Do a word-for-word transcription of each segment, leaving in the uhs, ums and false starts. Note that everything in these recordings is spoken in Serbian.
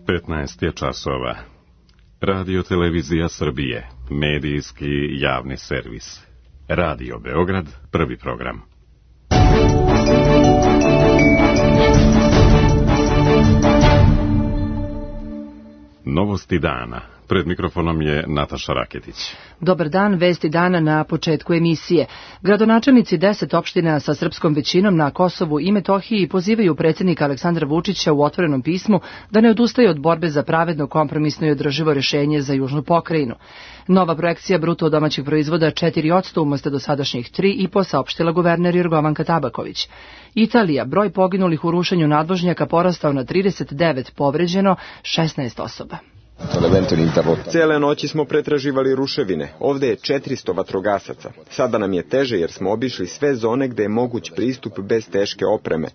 petnaest je časova. Radio Televizija Srbije, medijski javni servis. Radio Beograd, prvi program. Novosti dana. Pred mikrofonom je Nataša Raketić. Dobar dan, vesti dana na početku emisije. Gradonačelnici deset opština sa srpskom većinom na Kosovu i Metohiji pozivaju predsjednika Aleksandra Vučića u otvorenom pismu da ne odustaje od borbe za pravedno, kompromisno i održivo rješenje za južnu pokrajinu. Nova projekcija bruto domaćeg proizvoda četiri posto umesto dosadašnjih tri i po saopštila guverner Jorgovanka Tabaković. Italija, broj poginulih u rušenju nadvožnjaka porastao na trideset devet, povređeno šesnaest osoba. Cijele noći smo pretraživali ruševine. Ovdje je četiristo vatrogasaca. Sada nam je teže jer smo obišli sve zone gde je moguć pristup bez teške opreme.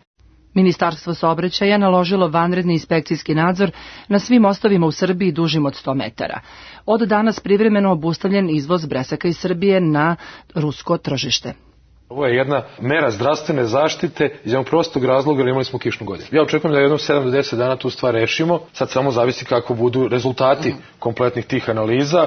Ministarstvo saobraćaja naložilo vanredni inspekcijski nadzor na svim mostovima u Srbiji dužim od sto metara. Od danas privremeno obustavljen izvoz bresaka iz Srbije na rusko tržište. Ovo je jedna mera zdravstvene zaštite iz jednog prostog razloga jer imali smo kišnu godinu. Ja očekujem da jednom sedam do deset dana tu stvar rešimo. Sad samo zavisi kako budu rezultati kompletnih tih analiza.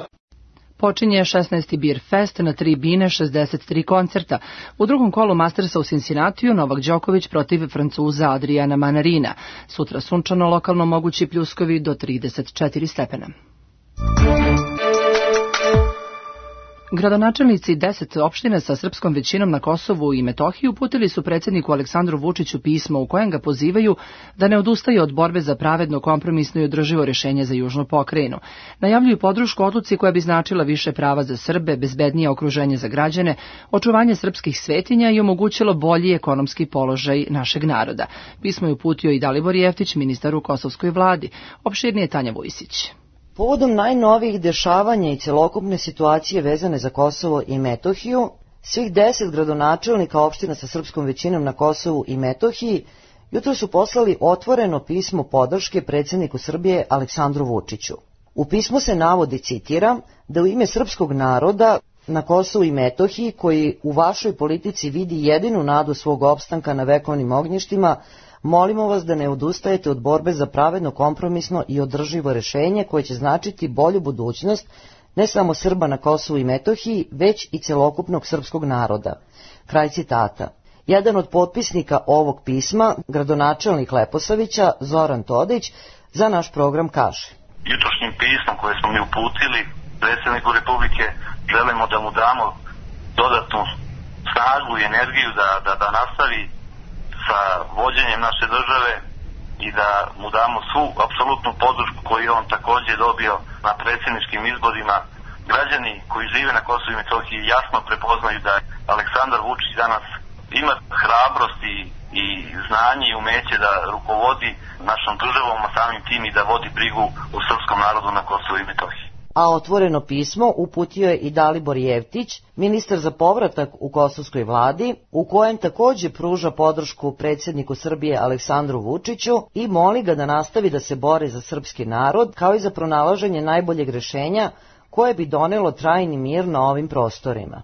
Počinje šesnaesti Beer Fest na tri bine, šezdeset tri koncerta. U drugom kolu Mastersa u Cincinnatiju Novak Đoković protiv Francuza Adriana Manarina. Sutra sunčano, lokalno mogući pljuskovi do trideset četiri stepena. Gradonačelnici deset opština sa srpskom većinom na Kosovu i Metohiji uputili su predsjedniku Aleksandru Vučiću pismo u kojem ga pozivaju da ne odustaje od borbe za pravedno, kompromisno i održivo rješenje za južnu pokrajinu. Najavljuju podršku odluci koja bi značila više prava za Srbe, bezbednije okruženje za građane, očuvanje srpskih svetinja i omogućilo bolji ekonomski položaj našeg naroda. Pismo je uputio i Dalibor Jeftić, ministar u kosovskoj vladi. Opširnije Tanja Vujsić. Povodom najnovijih dešavanja i celokupne situacije vezane za Kosovo i Metohiju, svih deset gradonačelnika opština sa srpskom većinom na Kosovu i Metohiji jutro su poslali otvoreno pismo podrške predsjedniku Srbije Aleksandru Vučiću. U pismu se navodi, citiram, da u ime srpskog naroda na Kosovu i Metohiji, koji u vašoj politici vidi jedinu nadu svog opstanka na vekovnim ognjištima, molimo vas da ne odustajete od borbe za pravedno, kompromisno i održivo rješenje koje će značiti bolju budućnost ne samo Srba na Kosovu i Metohiji, već i celokupnog srpskog naroda. Kraj citata. Jedan od potpisnika ovog pisma, gradonačelnik Leposavića, Zoran Todić, za naš program kaže: Jutrošnjim pismom koje smo mi uputili predsjedniku Republike želimo da mu damo dodatnu snagu i energiju da, da, da nastavi sa vođenjem naše države i da mu damo svu apsolutnu podršku koju je on također dobio na predsjedničkim izborima. Građani koji žive na Kosovu i Metohiji jasno prepoznaju da Aleksandar Vučić danas ima hrabrost i, i znanje i umeće da rukovodi našom državom, a samim tim i da vodi brigu o srpskom narodu na Kosovu i Metohiji. A otvoreno pismo uputio je i Dalibor Jeftić, ministar za povratak u kosovskoj vladi, u kojem također pruža podršku predsjedniku Srbije Aleksandru Vučiću i moli ga da nastavi da se bori za srpski narod, kao i za pronalaženje najboljeg rješenja koje bi donelo trajni mir na ovim prostorima.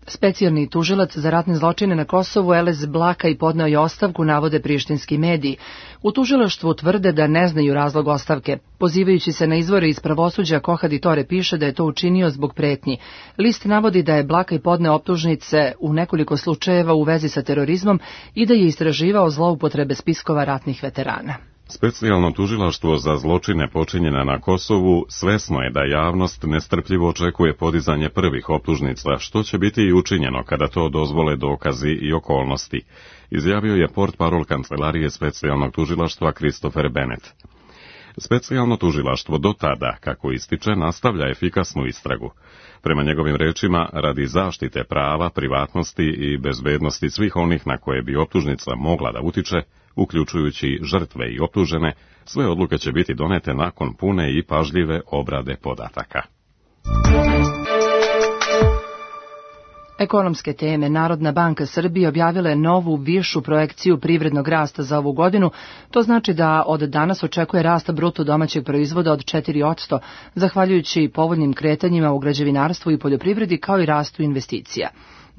Specijalni tužilac za ratne zločine na Kosovu Elez Blakaj podneo je ostavku, navode prištinski mediji. U tužilaštvu tvrde da ne znaju razlog ostavke. Pozivajući se na izvore iz pravosuđa, Kohaditore piše da je to učinio zbog pretnji. List navodi da je Blakaj podneo optužnice u nekoliko slučajeva u vezi sa terorizmom i da je istraživao zloupotrebe spiskova ratnih veterana. Specijalno tužilaštvo za zločine počinjene na Kosovu svesno je da javnost nestrpljivo očekuje podizanje prvih optužnica, što će biti i učinjeno kada to dozvole dokazi i okolnosti, izjavio je portparol kancelarije specijalnog tužilaštva Christopher Bennett. Specijalno tužilaštvo do tada, kako ističe, nastavlja efikasnu istragu. Prema njegovim rečima, radi zaštite prava, privatnosti i bezbednosti svih onih na koje bi optužnica mogla da utiče, uključujući žrtve i optužene, sve odluke će biti donete nakon pune i pažljive obrade podataka. Ekonomske teme. Narodna banka Srbije objavila je novu višu projekciju privrednog rasta za ovu godinu. To znači da od danas očekuje rast bruto domaćeg proizvoda od četiri posto, zahvaljujući povoljnim kretanjima u građevinarstvu i poljoprivredi kao i rastu investicija.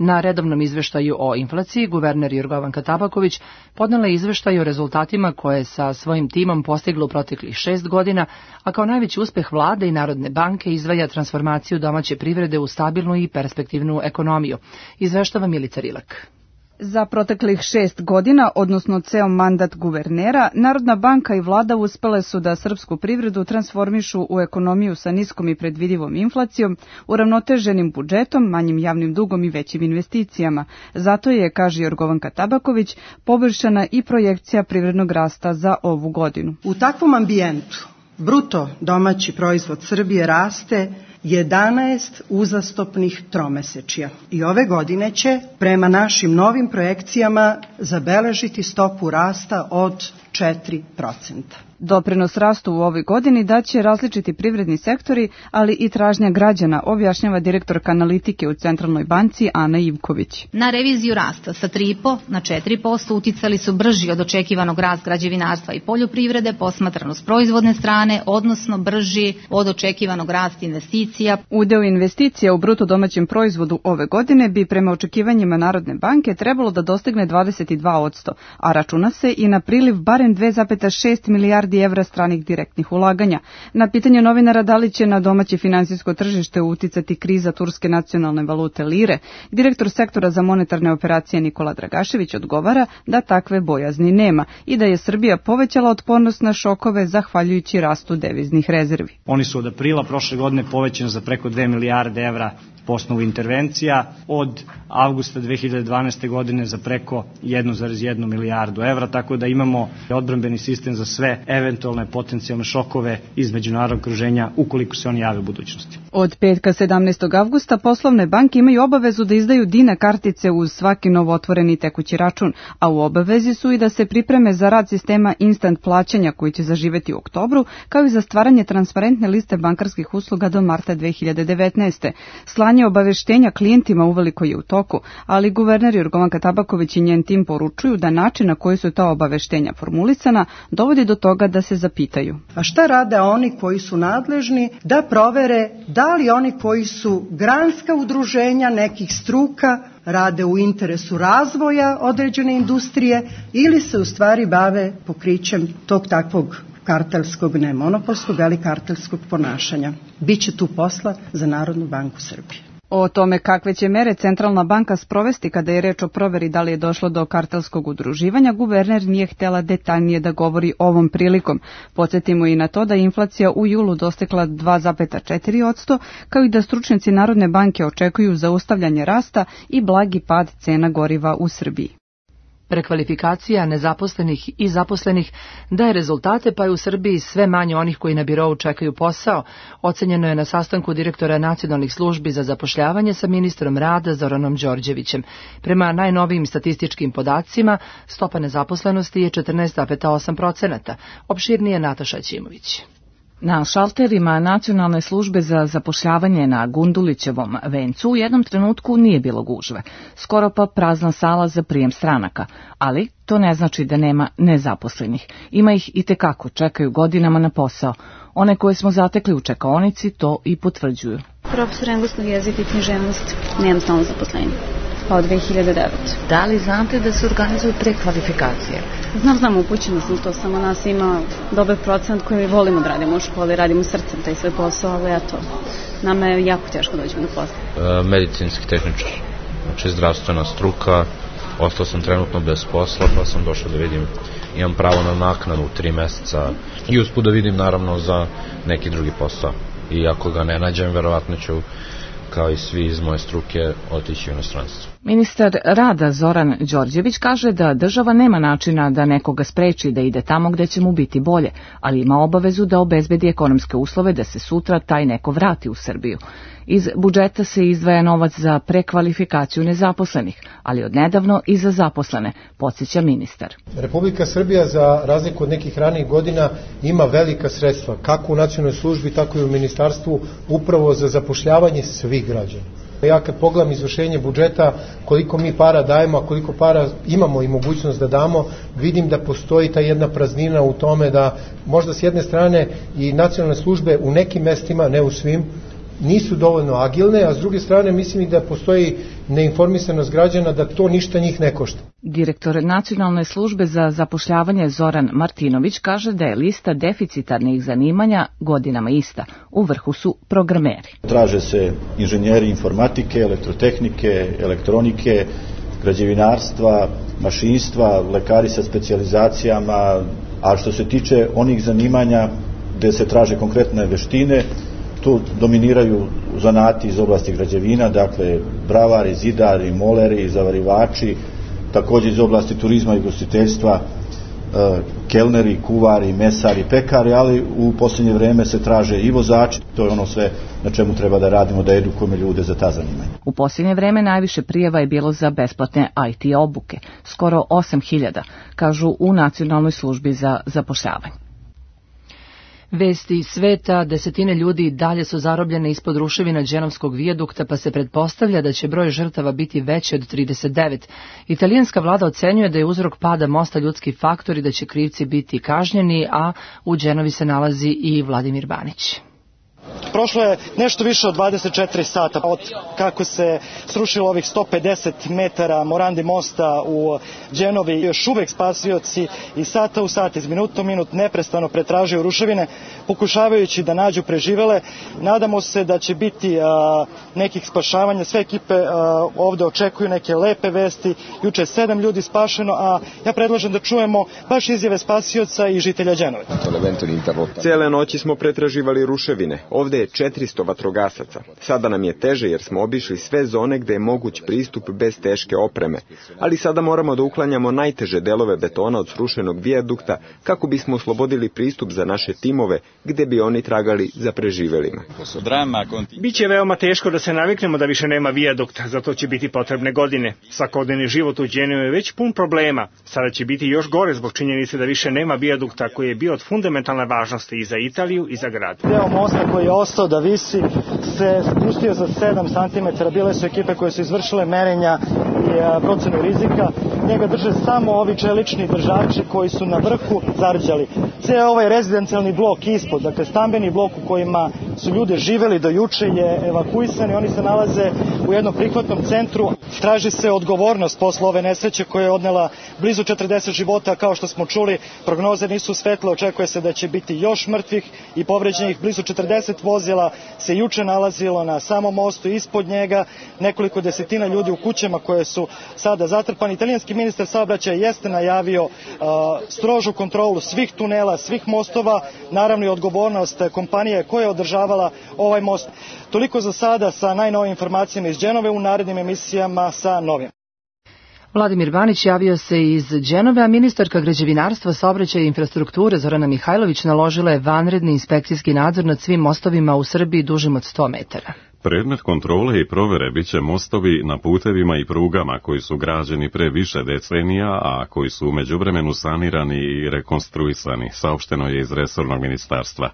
Na redovnom izveštaju o inflaciji, guverner Jorgovanka Tabaković podnela je izveštaj o rezultatima koje je sa svojim timom postigla u proteklih šest godina, a kao najveći uspeh vlade i Narodne banke izdvaja transformaciju domaće privrede u stabilnu i perspektivnu ekonomiju. Izveštava Milica Rilak. Za proteklih šest godina, odnosno ceo mandat guvernera, Narodna banka i vlada uspele su da srpsku privredu transformišu u ekonomiju sa niskom i predvidivom inflacijom, uravnoteženim budžetom, manjim javnim dugom i većim investicijama. Zato je, kaže Jorgovanka Tabaković, poboljšana i projekcija privrednog rasta za ovu godinu. U takvom ambijentu bruto domaći proizvod Srbije raste jedanaest uzastopnih tromesečja i ove godine će, prema našim novim projekcijama, zabeležiti stopu rasta od četiri procenta. Doprinos rastu u ovoj godini daće različiti privredni sektori, ali i tražnja građana, objašnjava direktorka analitike u Centralnoj banci Ana Ivković. Na reviziju rasta sa tri i po na četiri posto uticali su brži od očekivanog rast građevinarstva i poljoprivrede, posmatrano s proizvodne strane, odnosno brži od očekivanog rasta investicija. Udeo investicija u bruto domaćem proizvodu ove godine bi prema očekivanjima Narodne banke trebalo da dostigne dvadeset dva posto, a računa se i na priliv barem dve zarez šest milijardi evra stranih direktnih ulaganja. Na pitanje novinara da li će na domaće finansijsko tržište uticati kriza turske nacionalne valute lire, direktor sektora za monetarne operacije Nikola Dragašević odgovara da takve bojazni nema i da je Srbija povećala otpornost na šokove zahvaljujući rastu deviznih rezervi. Oni su od aprila prošle godine povećani za preko dve milijarde evra po osnovu intervencija, od avgusta dve hiljade dvanaeste. godine za preko jednu zarez jednu milijardu evra, tako da imamo odbrambeni sistem za sve eventualne potencijalne šokove iz međunarodnog okruženja ukoliko se oni jave u budućnosti. Od petka sedamnaestog avgusta poslovne banke imaju obavezu da izdaju Dina kartice uz svaki novootvoreni tekući račun, a u obavezi su i da se pripreme za rad sistema instant plaćanja koji će zaživeti u oktobru, kao i za stvaranje transparentne liste bankarskih usluga do marta dve hiljade devetnaeste. Slanje obaveštenja klijentima uveliko je u toku, ali guverner Jorgovanka Tabaković i njen tim poručuju da način na koji su ta obaveštenja formulisana dovodi do toga da se zapitaju. A šta rade oni koji su nadležni da provere da li oni koji su granska udruženja nekih struka rade u interesu razvoja određene industrije ili se u stvari bave pokrićem tog takvog kartelskog, ne monopolskog, ali kartelskog ponašanja. Biće tu posla za Narodnu banku Srbije. O tome kakve će mere Centralna banka sprovesti kada je reč o proveri da li je došlo do kartelskog udruživanja, guverner nije htela detaljnije da govori ovom prilikom. Podsjetimo i na to da je inflacija u julu dostigla dva zarez četiri posto, kao i da stručnjaci Narodne banke očekuju zaustavljanje rasta i blagi pad cena goriva u Srbiji. Prekvalifikacija nezaposlenih i zaposlenih daje rezultate, pa je u Srbiji sve manje onih koji na birou čekaju posao, ocenjeno je na sastanku direktora nacionalnih službi za zapošljavanje sa ministrom rada Zoranom Đorđevićem. Prema najnovijim statističkim podacima, stopa nezaposlenosti je četrnaest zarez osam procenata. Opširnije Nataša Ćimović. Na šalterima Nacionalne službe za zapošljavanje na Gundulićevom vencu u jednom trenutku nije bilo gužve, skoro pa prazna sala za prijem stranaka, ali to ne znači da nema nezaposlenih. Ima ih i tekako, čekaju godinama na posao. One koje smo zatekli u čekaonici to i potvrđuju. Profesor engleskog jezika i književnosti, nemam stalno zaposlenje. Pa od dve hiljade devete. Da li znate da se organizuju prekvalifikacije? Znam, znam, upućena sam to, samo nas ima dobar procent koji volimo da radimo u školi, radimo srcem taj sve posao, ali eto, nama je jako teško dođemo do posla. E, medicinski tehničar, znači zdravstvena struka, ostao sam trenutno bez posla, pa sam došao da vidim, imam pravo na naknadu tri meseca i usput da vidim naravno za neki drugi posao. I ako ga ne nađem, verovatno ću, kao i svi iz moje struke, otići u inostranstvo. Ministar rada Zoran Đorđević kaže da država nema načina da nekoga spreči da ide tamo gde će mu biti bolje, ali ima obavezu da obezbedi ekonomske uslove da se sutra taj neko vrati u Srbiju. Iz budžeta se izdvaja novac za prekvalifikaciju nezaposlenih, ali odnedavno i za zaposlene, podsjeća ministar. Republika Srbija, za razliku od nekih ranijih godina, ima velika sredstva, kako u nacionalnoj službi, tako i u ministarstvu, upravo za zapošljavanje svih građana. Ja kad pogledam izvršenje budžeta, koliko mi para dajemo, a koliko para imamo i mogućnost da damo, vidim da postoji ta jedna praznina u tome da možda s jedne strane i nacionalne službe u nekim mestima, ne u svim, nisu dovoljno agilne, a s druge strane mislim i da postoji neinformisanost građana da to ništa njih ne košta. Direktor Nacionalne službe za zapošljavanje Zoran Martinović kaže da je lista deficitarnih zanimanja godinama ista. U vrhu su programeri. Traže se inženjeri informatike, elektrotehnike, elektronike, građevinarstva, mašinstva, lekari sa specijalizacijama, a što se tiče onih zanimanja gde se traže konkretne veštine, tu dominiraju zanati iz oblasti građevina, dakle bravari, zidari, moleri, zavarivači, također iz oblasti turizma i ugostiteljstva, kelneri, kuvari, mesari, pekari, ali u posljednje vreme se traže i vozači. To je ono sve na čemu treba da radimo, da edukujemo ljude za ta zanimanja. U posljednje vreme najviše prijava je bilo za besplatne I T obuke, skoro osam hiljada, kažu u Nacionalnoj službi za zapošljavanje. Vesti iz sveta, desetine ljudi dalje su zarobljene ispod ruševina Dženovskog vijadukta, pa se pretpostavlja da će broj žrtava biti veći od trideset devet. Italijanska vlada ocenjuje da je uzrok pada mosta ljudski faktor i da će krivci biti kažnjeni, a u Dženovi se nalazi i Vladimir Banić. Prošlo je nešto više od dvadeset četiri sata od kako se srušilo ovih sto pedeset metara Morandi mosta u Dženovi. Još uvek spasioci i sata u sat, iz minuta u minut neprestano pretražuju ruševine, pokušavajući da nađu preživele. Nadamo se da će biti a, nekih spašavanja. Sve ekipe a, ovde očekuju neke lepe vesti. Juče je sedam ljudi spašeno, a ja predlažem da čujemo baš izjave spasioca i žitelja Dženove. Cele noći smo pretraživali ruševine. Ovde je četiristo vatrogasaca. Sada nam je teže jer smo obišli sve zone gde je moguć pristup bez teške opreme. Ali sada moramo da uklanjamo najteže delove betona od srušenog vijadukta kako bismo oslobodili pristup za naše timove gde bi oni tragali za preživelima. Biće veoma teško da se naviknemo da više nema vijadukta, zato će biti potrebne godine. Svakodnevni život u Dženovi je već pun problema. Sada će biti još gore zbog činjenice da više nema vijadukta koji je bio od fundamentalne važnosti i za Italiju i za grad. Deo mosta koji je ostao da visi se spustio za sedam santimetara. Bile su ekipe koje su izvršile merenja i procenu rizika. Njega drže samo ovi čelični držači koji su na vrhu zarđali. Cijel ovaj rezidencijalni blok ispod, dakle stambeni blok u kojima su ljude živeli do juče, je evakuisan i oni se nalaze u jednom prihvatnom centru. Traži se odgovornost posle ove nesreće koja je odnela blizu četrdeset života. Kao što smo čuli, prognoze nisu svetle, očekuje se da će biti još mrtvih i povređenih. Blizu četrdeset vozila se juče nalazilo na samom mostu, ispod njega nekoliko desetina ljudi u kućama koje su sada zatrpani. Italijanski ministar saobraćaja jeste najavio uh, strožu kontrolu svih tunela, svih mostova, naravno i odgovornost kompanije koja je održavala ovaj most. Toliko za sada sa najnovim informacijama iz Dženove, u narednim emisijama sa novim. Vladimir Banić javio se iz Dženove, a ministarka građevinarstva, saobraćaja i infrastrukture Zorana Mihajlović naložila je vanredni inspekcijski nadzor nad svim mostovima u Srbiji dužim od sto metara. Predmet kontrole i provere biće mostovi na putevima i prugama koji su građeni pre više decenija, a koji su u međuvremenu sanirani i rekonstruisani, saopšteno je iz resornog ministarstva.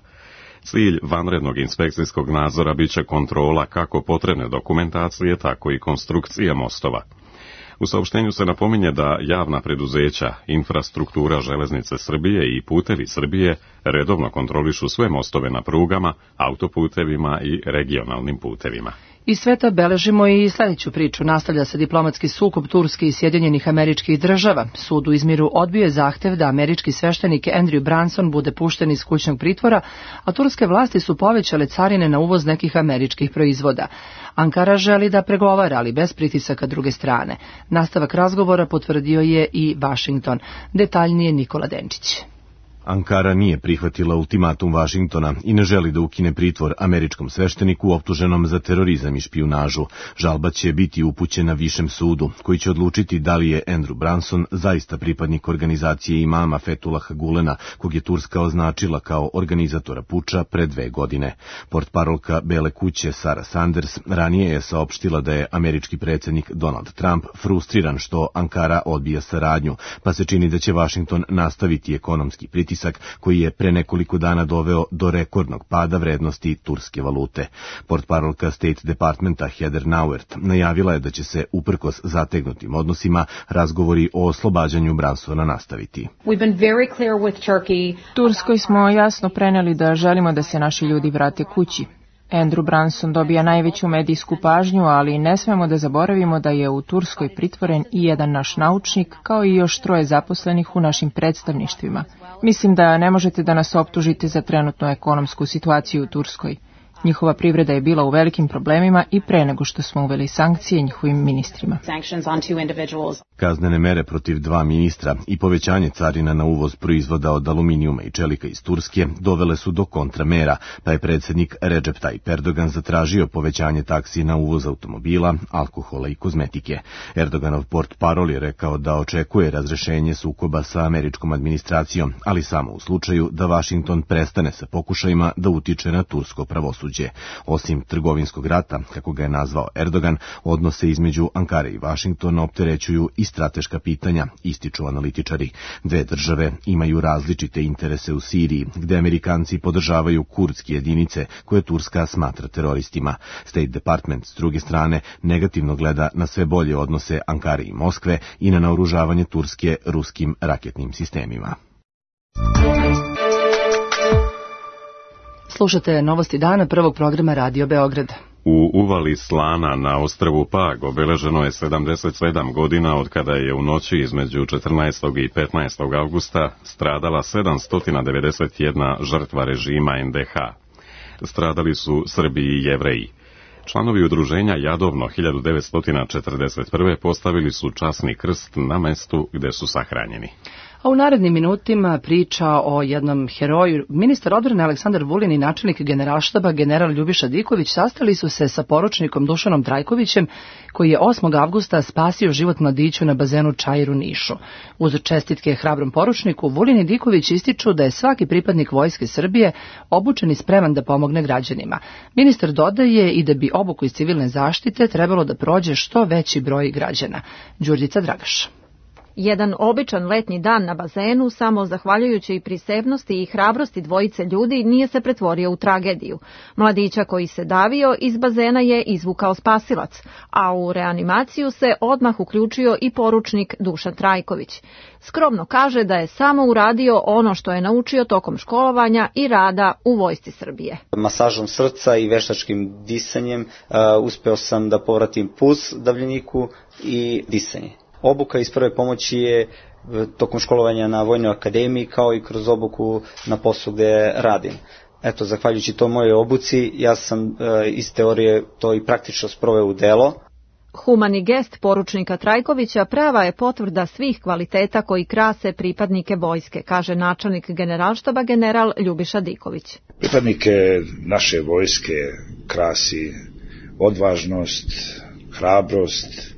Cilj vanrednog inspekcijskog nadzora biće kontrola kako potrebne dokumentacije, tako i konstrukcije mostova. U saopštenju se napominje da javna preduzeća, infrastruktura Železnice Srbije i Putevi Srbije redovno kontrolišu sve mostove na prugama, autoputevima i regionalnim putevima. Iz sveta beležimo i sljedeću priču. Nastavlja se diplomatski sukob Turske i Sjedinjenih Američkih Država. Sud u Izmiru odbio je zahtev da američki sveštenik Andrew Branson bude pušten iz kućnog pritvora, a turske vlasti su povećale carine na uvoz nekih američkih proizvoda. Ankara želi da pregovara, ali bez pritisaka druge strane. Nastavak razgovora potvrdio je i Washington. Detaljnije Nikola Denčić. Ankara nije prihvatila ultimatum Vašingtona i ne želi da ukine pritvor američkom svešteniku optuženom za terorizam i špijunažu. Žalba će biti upućena višem sudu, koji će odlučiti da li je Andrew Branson zaista pripadnik organizacije imama Fethullaha Gulena, kog je Turska označila kao organizatora puča pre dve godine. Portparolka Bele kuće Sarah Sanders ranije je saopštila da je američki predsjednik Donald Trump frustriran što Ankara odbija saradnju, pa se čini da će Washington nastaviti ekonomski pritisak koji je pre nekoliko dana doveo do rekordnog pada vrednosti turske valute. Portparolka State Departmenta Heather Nauert najavila je da će se uprkos zategnutim odnosima razgovori o oslobađanju Bransona nastaviti. Turskoj smo jasno preneli da želimo da se naši ljudi vrate kući. Andrew Branson dobija najveću medijsku pažnju, ali ne smemo da zaboravimo da je u Turskoj pritvoren i jedan naš naučnik, kao i još troje zaposlenih u našim predstavništvima. Mislim da ne možete da nas optužite za trenutnu ekonomsku situaciju u Turskoj. Njihova privreda je bila u velikim problemima i pre nego što smo uveli sankcije njihovim ministrima. Kaznene mere protiv dva ministra i povećanje carina na uvoz proizvoda od aluminijuma i čelika iz Turske dovele su do kontramera, pa je predsjednik Recep Tayyip Erdogan zatražio povećanje taksi na uvoz automobila, alkohola i kozmetike. Erdoganov portparol je rekao da očekuje razrešenje sukoba sa američkom administracijom, ali samo u slučaju da Vašington prestane sa pokušajima da utiče na tursko pravosuđe. Osim trgovinskog rata, kako ga je nazvao Erdogan, odnose između Ankare i Vašingtona opterećuju i strateška pitanja, ističu analitičari. Dve države imaju različite interese u Siriji, gde Amerikanci podržavaju kurdske jedinice koje Turska smatra teroristima. State Department, s druge strane, negativno gleda na sve bolje odnose Ankare i Moskve i na naoružavanje Turske ruskim raketnim sistemima. Slušate Novosti dana prvog programa Radio Beograd. U uvali Slana na ostrvu Pag obeleženo je sedamdeset sedam godina od kada je u noći između četrnaestog i petnaestog avgusta stradala sedamsto devedeset jedna žrtva režima en de ha. Stradali su Srbi i Jevreji. Članovi udruženja Jadovno hiljadu devetsto četrdeset prve postavili su časni krst na mestu gde su sahranjeni. A u narednim minutima priča o jednom heroju. Ministar odbrane Aleksandar Vulin i načelnik generalštaba general Ljubiša Diković sastali su se sa poručnikom Dušanom Trajkovićem, koji je osmog avgusta spasio život mladiću na bazenu Čair u Nišu. Uz čestitke hrabrom poručniku, Vulin i Diković ističu da je svaki pripadnik Vojske Srbije obučen i spreman da pomogne građanima. Ministar dodaje i da bi obuku iz civilne zaštite trebalo da prođe što veći broj građana. Đurđica Dragaš. Jedan običan letnji dan na bazenu, samo zahvaljujući i prisebnosti i hrabrosti dvojice ljudi, nije se pretvorio u tragediju. Mladića koji se davio iz bazena je izvukao spasilac, a u reanimaciju se odmah uključio i poručnik Dušan Trajković. Skromno kaže da je samo uradio ono što je naučio tokom školovanja i rada u Vojsci Srbije. Masažom srca i veštačkim disanjem uh, uspeo sam da povratim puls davljeniku i disanje. Obuka iz prve pomoći je tokom školovanja na Vojnoj akademiji, kao i kroz obuku na poslu gde radim. Eto, zahvaljujući to moje obuci, ja sam e, iz teorije to i praktično sproveo u delo. Humani gest poručnika Trajkovića prava je potvrda svih kvaliteta koji krase pripadnike vojske, kaže načelnik generalštaba general Ljubiša Diković. Pripadnike naše vojske krasi odvažnost, hrabrost,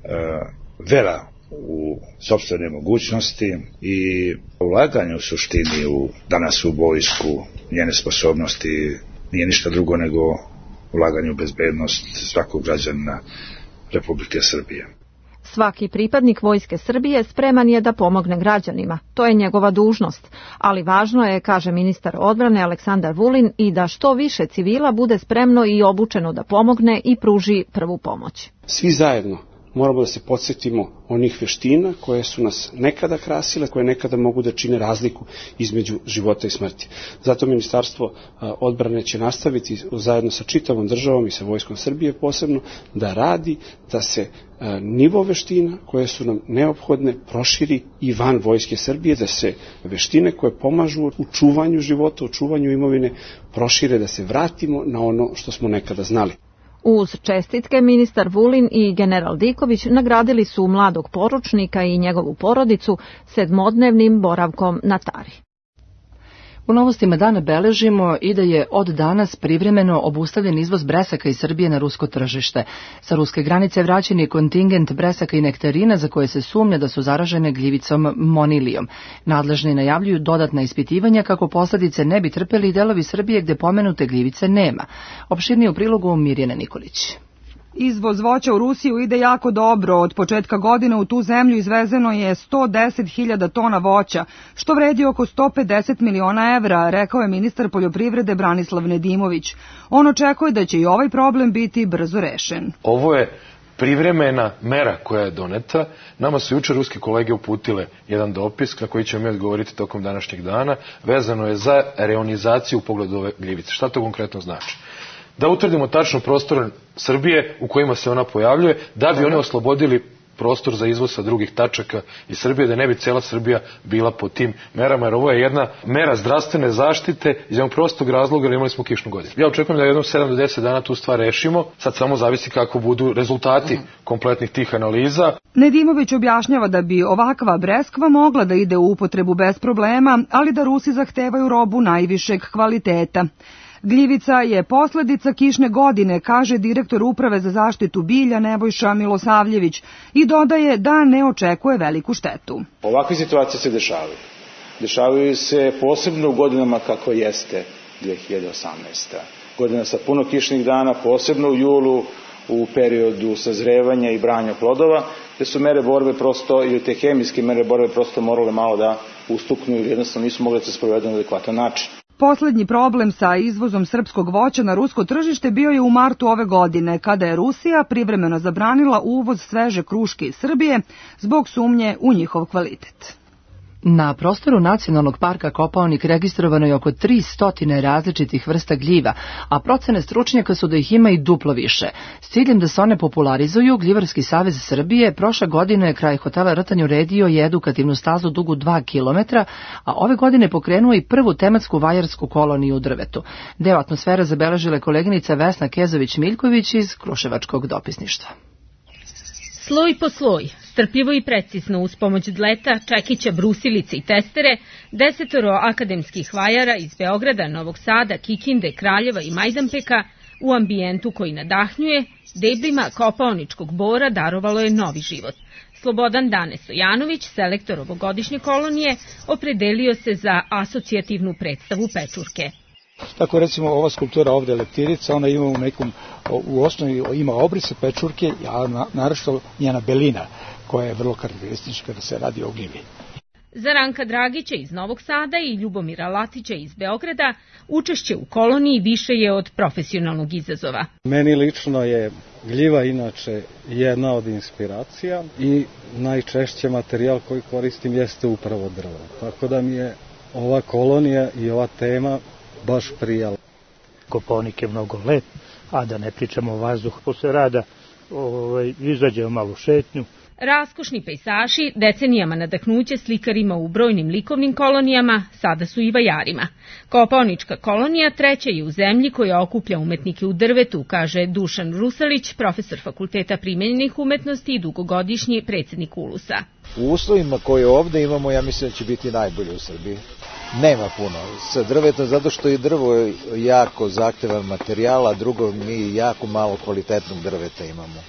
e, vera u sopstvene mogućnosti i ulaganje u suštini u, danas u vojsku, njene sposobnosti nije ništa drugo nego ulaganje u bezbednost svakog građanina Republike Srbije. Svaki pripadnik Vojske Srbije spreman je da pomogne građanima. To je njegova dužnost, ali važno je, kaže ministar odbrane Aleksandar Vulin, i da što više civila bude spremno i obučeno da pomogne i pruži prvu pomoć. Svi zajedno moramo da se podsjetimo onih veština koje su nas nekada krasile, koje nekada mogu da čine razliku između života i smrti. Zato Ministarstvo odbrane će nastaviti zajedno sa čitavom državom i sa Vojskom Srbije posebno da radi da se nivo veština koje su nam neophodne proširi i van Vojske Srbije, da se veštine koje pomažu u čuvanju života, u čuvanju imovine prošire, da se vratimo na ono što smo nekada znali. Uz čestitke ministar Vulin i general Diković nagradili su mladog poručnika i njegovu porodicu sedmodnevnim boravkom na Tari. U novostima dana beležimo i da je od danas privremeno obustavljen izvoz bresaka iz Srbije na rusko tržište. Sa ruske granice vraćen je kontingent bresaka i nektarina za koje se sumnja da su zaražene gljivicom monilijom. Nadležni najavljuju dodatna ispitivanja kako posljedice ne bi trpeli i delovi Srbije gde pomenute gljivice nema. Opširnije u prilogu Mirjana Nikolić. Izvoz voća u Rusiju ide jako dobro. Od početka godine u tu zemlju izvezeno je sto deset hiljada tona voća, što vredi oko sto pedeset miliona evra, rekao je ministar poljoprivrede Branislav Nedimović. On očekuje da će i ovaj problem biti brzo rešen. Ovo je privremena mera koja je doneta. Nama su jučer ruski kolege uputile jedan dopis na koji ćemo mi odgovoriti tokom današnjeg dana. Vezano je za reonizaciju u pogledu ove gljivice. Šta to konkretno znači? da utvrdimo tačno prostor Srbije u kojima se ona pojavljuje, da bi oni oslobodili prostor za izvoz sa drugih tačaka iz Srbije, da ne bi cela Srbija bila po tim merama, jer ovo je jedna mera zdravstvene zaštite iz jednog prostog razloga, jer imali smo kišnu godinu. Ja očekujem da jednom sedam do deset dana tu stvar rešimo, sad samo zavisi kako budu rezultati kompletnih tih analiza. Nedimović objašnjava da bi ovakva breskva mogla da ide u upotrebu bez problema, ali da Rusi zahtevaju robu najvišeg kvaliteta. Gljivica je posledica kišne godine, kaže direktor Uprave za zaštitu bilja Nebojša Milosavljević i dodaje da ne očekuje veliku štetu. Ovakve situacije se dešavaju. Dešavaju se posebno u godinama kako jeste dve hiljade osamnaesta. Godina sa puno kišnih dana, posebno u julu, u periodu sazrevanja i branja plodova, te su mere borbe prosto, ili te hemijske mere borbe prosto morale malo da ustuknu ili jednostavno nisu mogle da se sprovedu na adekvatan način. Poslednji problem sa izvozom srpskog voća na rusko tržište bio je u martu ove godine, kada je Rusija privremeno zabranila uvoz sveže kruške iz Srbije zbog sumnje u njihov kvalitet. Na prostoru Nacionalnog parka Kopaonik registrovano je oko tristo različitih vrsta gljiva, a procene stručnjaka su da ih ima i duplo više. S ciljem da se one popularizuju, Gljivarski savez Srbije prošle godine kraj hotela Rtanj uredio je edukativnu stazu dugu dva kilometra, a ove godine pokrenuo i prvu tematsku vajarsku koloniju u drvetu. Deo atmosfere zabeležila koleginica Vesna Kezović-Miljković iz Kruševačkog dopisništva. Sloj po sloj, strpljivo i precizno uz pomoć dleta, čekića, brusilice i testere, desetoro akademskih vajara iz Beograda, Novog Sada, Kikinde, Kraljeva i Majdanpeka u ambijentu koji nadahnjuje, deblima kopaoničkog bora darovalo je novi život. Slobodan Dane Sojanović, selektor ovogodišnje kolonije, opredelio se za asocijativnu predstavu pečurke. Tako recimo ova skulptura ovde leptirica, ona ima u nekom, u osnovi ima obrise pečurke, a naročito njena belina koja je vrlo karakteristična kada se radi o gljivi. Za Ranka Dragića iz Novog Sada i Ljubomira Latića iz Beograda učešće u koloniji više je od profesionalnog izazova. Meni lično je gljiva inače jedna od inspiracija i najčešće materijal koji koristim jeste upravo drvo. Tako da mi je ova kolonija i ova tema baš prijala. Kopaonik je mnogo lep, a da ne pričamo o vazduhu. Posle rada ovaj, izađemo malo šetnju. Raskošni pejsaži, decenijama nadahnuće slikarima u brojnim likovnim kolonijama, sada su i vajarima. Kopaonička kolonija treća je u zemlji koja okuplja umetnike u drvetu, kaže Dušan Rusalić, profesor Fakulteta primenjenih umetnosti i dugogodišnji predsjednik Ulusa. U uslovima koje ovde imamo, ja mislim da će biti najbolje u Srbiji. Nema puno sa drveta, zato što je drvo jako zahtevan materijal, a drugo mi jako malo kvalitetnog drveta imamo.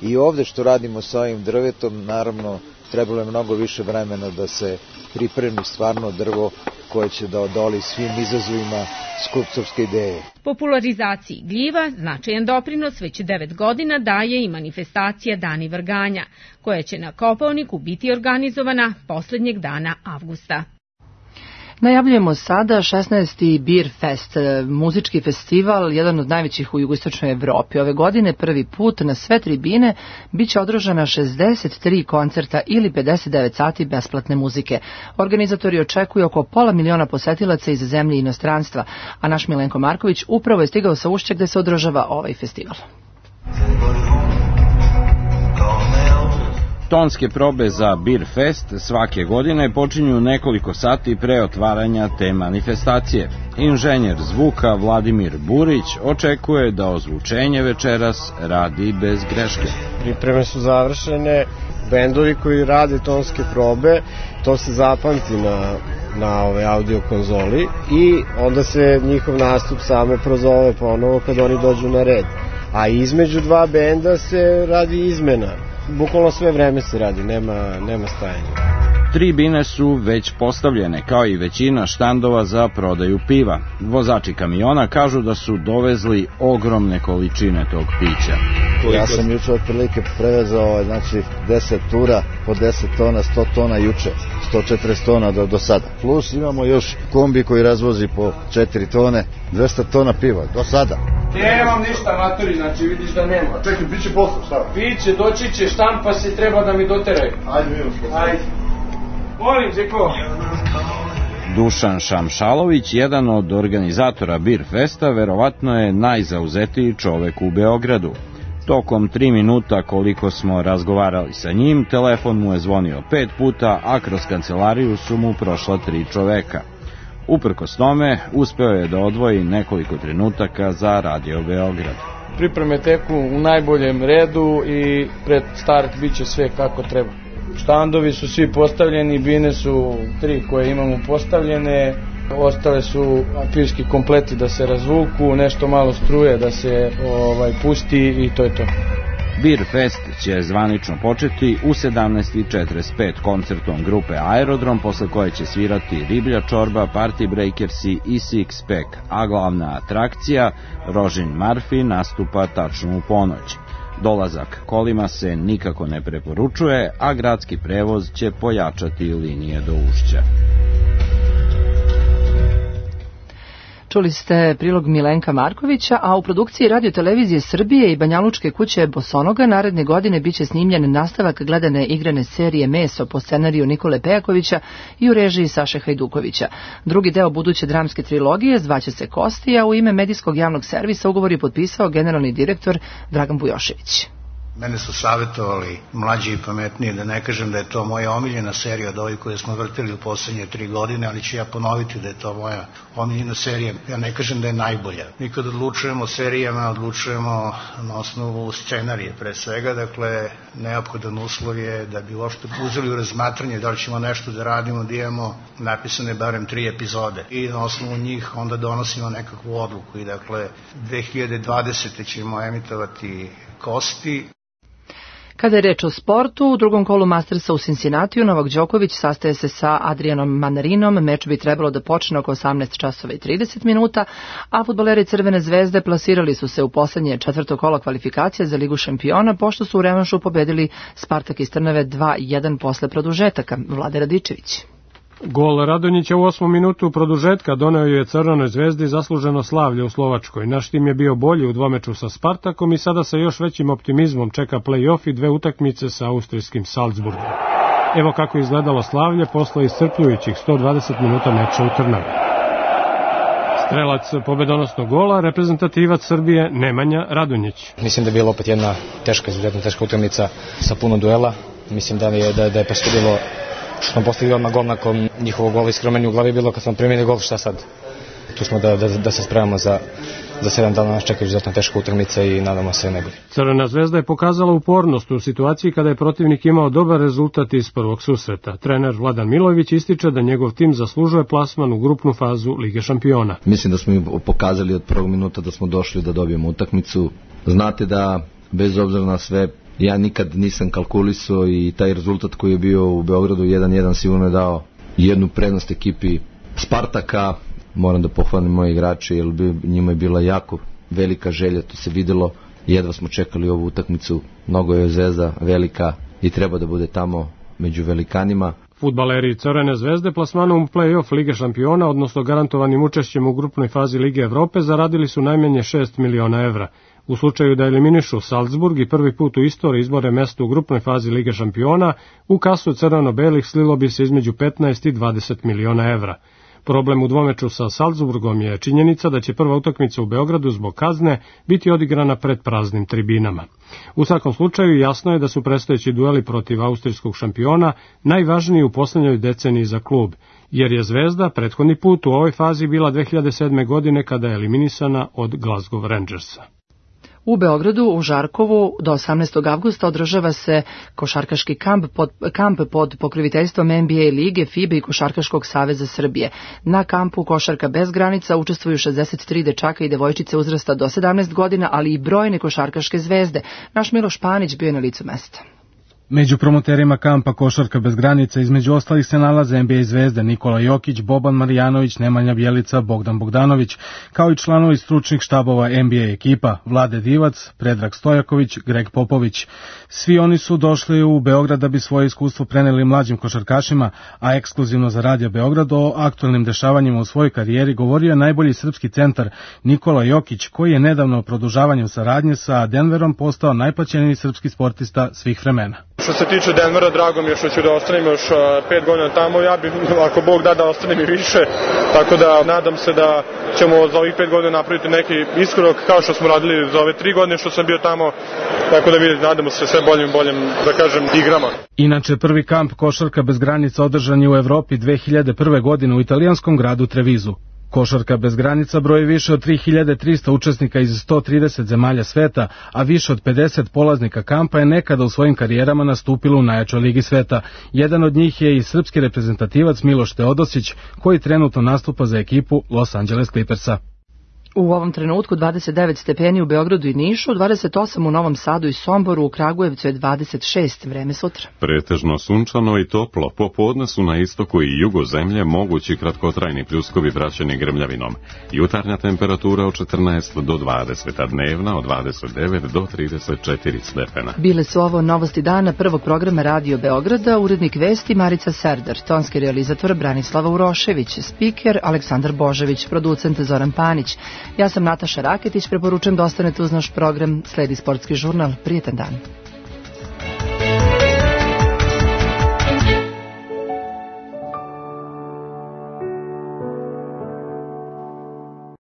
I ovde što radimo sa ovim drvetom, naravno, trebalo je mnogo više vremena da se pripremi stvarno drvo koje će da odoli svim izazovima skulptorske ideje. Popularizaciji gljiva značajan doprinos već devet godina daje i manifestacija Dani vrganja, koja će na Kopaoniku biti organizovana poslednjeg dana avgusta. Najavljujemo sada šesnaesti Beer Fest, muzički festival, jedan od najvećih u jugoistočnoj Evropi. Ove godine prvi put na sve tribine biće održana šezdeset tri koncerta ili pedeset devet sati besplatne muzike. Organizatori očekuju oko pola miliona posetilaca iz zemlje i inostranstva, a naš Milenko Marković upravo je stigao sa Ušća gde se održava ovaj festival. Tonske probe za Beer Fest svake godine počinju nekoliko sati pre otvaranja te manifestacije. Inženjer zvuka Vladimir Burić očekuje da ozvučenje večeras radi bez greške. Pripreme su završene, bendovi koji rade tonske probe, to se zapamti na, na ove audio konzoli i onda se njihov nastup samo prozove ponovo kad oni dođu na red. A između dva benda se radi izmena. Bukvalno sve vreme se radi, nema, nema stajanja. Tribine su već postavljene, kao i većina štandova za prodaju piva. Vozači kamiona kažu da su dovezli ogromne količine tog pića. Ja sam juče otprilike prevezao znači, deset tura po deset tona, sto tona juče, sto četrdeset tona do, do sada. Plus imamo još kombi koji razvozi po četiri tone, dvesta tona piva, do sada. Nemam ništa, matori, znači vidiš da nema. Čekaj, piće posao, šta? Piće, doći će, štampa se, treba da mi doteraju. Ajde, vidimo. Ajde. Molim, Zeko. Dušan Šamšalović, jedan od organizatora Bir Festa, verovatno je najzauzetiji čovek u Beogradu. Tokom tri minuta koliko smo razgovarali sa njim, telefon mu je zvonio pet puta, a kroz kancelariju su mu prošla tri čoveka. Uprkos tome, uspeo je da odvoji nekoliko trenutaka za Radio Beograd. Pripreme teku u najboljem redu i pred start bit će sve kako treba. Štandovi su svi postavljeni, bine su tri koje imamo postavljene, ostale su aprilski kompleti da se razvuku, nešto malo struje da se ovaj, pusti i to je to. Bir Fest će zvanično početi u sedamnaest i četrdeset pet koncertom grupe Aerodrom, posle koje će svirati Riblja čorba, Party Breakersi i Six Pack, a glavna atrakcija, Rožin Murphy, nastupa tačno u ponoć. Dolazak kolima se nikako ne preporučuje, a gradski prevoz će pojačati linije do Ušća. Čuli ste prilog Milenka Markovića, a u produkciji Radio-televizije Srbije i Banjalučke kuće Bosonoga naredne godine biće snimljen nastavak gledane igrane serije Meso po scenariju Nikole Pejakovića i u režiji Saše Hajdukovića. Drugi deo buduće dramske trilogije zvaće se Kosti, a u ime medijskog javnog servisa ugovor je potpisao generalni direktor Dragan Bujošević. Mene su savjetovali mlađi i pametniji, da ne kažem da je to moja omiljena serija od ovih koje smo vrtili u poslednje tri godine, ali ću ja ponoviti da je to moja omiljena serija. Ja ne kažem da je najbolja. Mi kad odlučujemo o serijama, odlučujemo na osnovu scenarije pre svega, dakle neophodan uslov je da bi uopšte uzeli u razmatranje da li ćemo nešto da radimo, da imamo napisane barem tri epizode i na osnovu njih onda donosimo nekakvu odluku i dakle dve hiljade dvadesete ćemo emitovati Kosti. Kada je reč o sportu, u drugom kolu Mastersa u Cincinnatiju Novak Đoković sastaje se sa Adrianom Manarinom. Meč bi trebalo da počne oko osamnaest časova i trideset minuta, a fudbaleri Crvene zvezde plasirali su se u poslednje četvrto kolo kvalifikacija za Ligu šampiona, pošto su u revanšu pobedili Spartak iz Trnave dva jedan posle produžetaka. Vlade Radičević. Gol Radonjića u osmom minutu produžetka doneo je Crvenoj zvezdi zasluženo slavlje u Slovačkoj. Naš tim je bio bolji u dvomeču sa Spartakom i sada sa još većim optimizmom čeka play-off i dve utakmice sa austrijskim Salzburgom. Evo kako je izgledalo slavlje posle iscrpljujućih sto dvadeset minuta meča u Trnavi. Strelac pobedonosnog gola, reprezentativac Srbije Nemanja Radonjić. Mislim da je bila opet jedna teška, izuzetno teška utakmica sa puno duela. Mislim da je, da, da je presudilo što smo postigli odmah gol nakon njihovog gola. Iskreno meni u glavi je bilo kad smo primili gol, šta sad? Tu smo da, da, da se spremamo za, za sedam dana, nas čekaju izuzetno teška utakmica i nadamo se najbolje. Crvena zvezda je pokazala upornost u situaciji kada je protivnik imao dobar rezultat iz prvog susreta. Trener Vladan Milojević ističe da njegov tim zaslužuje plasman u grupnu fazu Lige šampiona. Mislim da smo im pokazali od prvog minuta da smo došli da dobijemo utakmicu. Znate da bez obzira na sve, ja nikad nisam kalkulisao i taj rezultat koji je bio u Beogradu jedan jedan sigurno je dao jednu prednost ekipi Spartaka. Moram da pohvalim moje igrače jer bi, njima je bila jako velika želja, to se videlo, jedva smo čekali ovu utakmicu, mnogo je Zvezda velika i treba da bude tamo među velikanima. Fudbaleri Crvene zvezde plasmanom u play-off Lige šampiona, odnosno garantovanim učešćem u grupnoj fazi Lige Evrope, zaradili su najmanje šest miliona evra. U slučaju da eliminišu Salzburg i prvi put u istoriji izbore mesto u grupnoj fazi Lige šampiona, u kasu crveno-belih slilo bi se između petnaest i dvadeset miliona evra. Problem u dvomeču sa Salzburgom je činjenica da će prva utakmica u Beogradu zbog kazne biti odigrana pred praznim tribinama. U svakom slučaju jasno je da su predstojeći dueli protiv austrijskog šampiona najvažniji u poslednjoj deceniji za klub, jer je Zvezda prethodni put u ovoj fazi bila dve hiljade sedme. godine kada je eliminisana od Glasgow Rangersa. U Beogradu, u Žarkovu, do osamnaestog avgusta održava se košarkaški kamp pod, kamp pod pokroviteljstvom N B A lige, F I B A i Košarkaškog saveza Srbije. Na kampu Košarka bez granica učestvuju šezdeset tri dečaka i devojčice uzrasta do sedamnaest godina, ali i brojne košarkaške zvezde. Naš Miloš Panić bio je na licu mesta. Među promoterima kampa Košarka bez granica između ostalih se nalaze N B A zvezde Nikola Jokić, Boban Marjanović, Nemanja Bjelica, Bogdan Bogdanović, kao i članovi stručnih štabova N B A ekipa Vlade Divac, Predrag Stojaković, Greg Popović. Svi oni su došli u Beograd da bi svoje iskustvo preneli mlađim košarkašima, a ekskluzivno za Radio Beograd o aktualnim dešavanjima u svojoj karijeri govorio je najbolji srpski centar Nikola Jokić, koji je nedavno produžavanjem saradnje sa Denverom postao najplaćeniji srpski sportista svih vremena. Što se tiče Denvera, drago mi je što ću da ostanem još pet godina tamo, ja bi, ako Bog da, da ostanem i više, tako da nadam se da ćemo za ovih pet godina napraviti neki iskorak kao što smo radili za ove tri godine što sam bio tamo, tako da vidite, nadamo se sve boljim i boljim, da kažem, igrama. Inače, prvi kamp Košarka bez granica održan je u Evropi dve hiljade prve. godine u italijanskom gradu Trevizu. Košarka bez granica broji više od tri hiljade trista učesnika iz sto trideset zemalja sveta, a više od pedeset polaznika kampa je nekada u svojim karijerama nastupilo u najjačoj ligi sveta. Jedan od njih je i srpski reprezentativac Miloš Teodosić, koji trenutno nastupa za ekipu Los Angeles Clippersa. U ovom trenutku dvadeset devet stepeni u Beogradu i Nišu, dvadeset osam u Novom Sadu i Somboru, u Kragujevcu je dvadeset šest, vreme sutra. Pretežno sunčano i toplo, popodne su na istoku i jugu zemlje mogući kratkotrajni pljuskovi praćeni grmljavinom. Jutarnja temperatura od četrnaest do dvadeset, a dnevna od dvadeset devet do trideset četiri stepena. Bile su ovo novosti dana prvog programa Radio Beograda, urednik vesti Marica Serdar, tonski realizator Branislava Urošević, spiker Aleksandar Božević, producent Zoran Panić. Ja sam Nataša Raketić, preporučujem da ostanete uz naš program, sledi sportski žurnal, prijetan dan.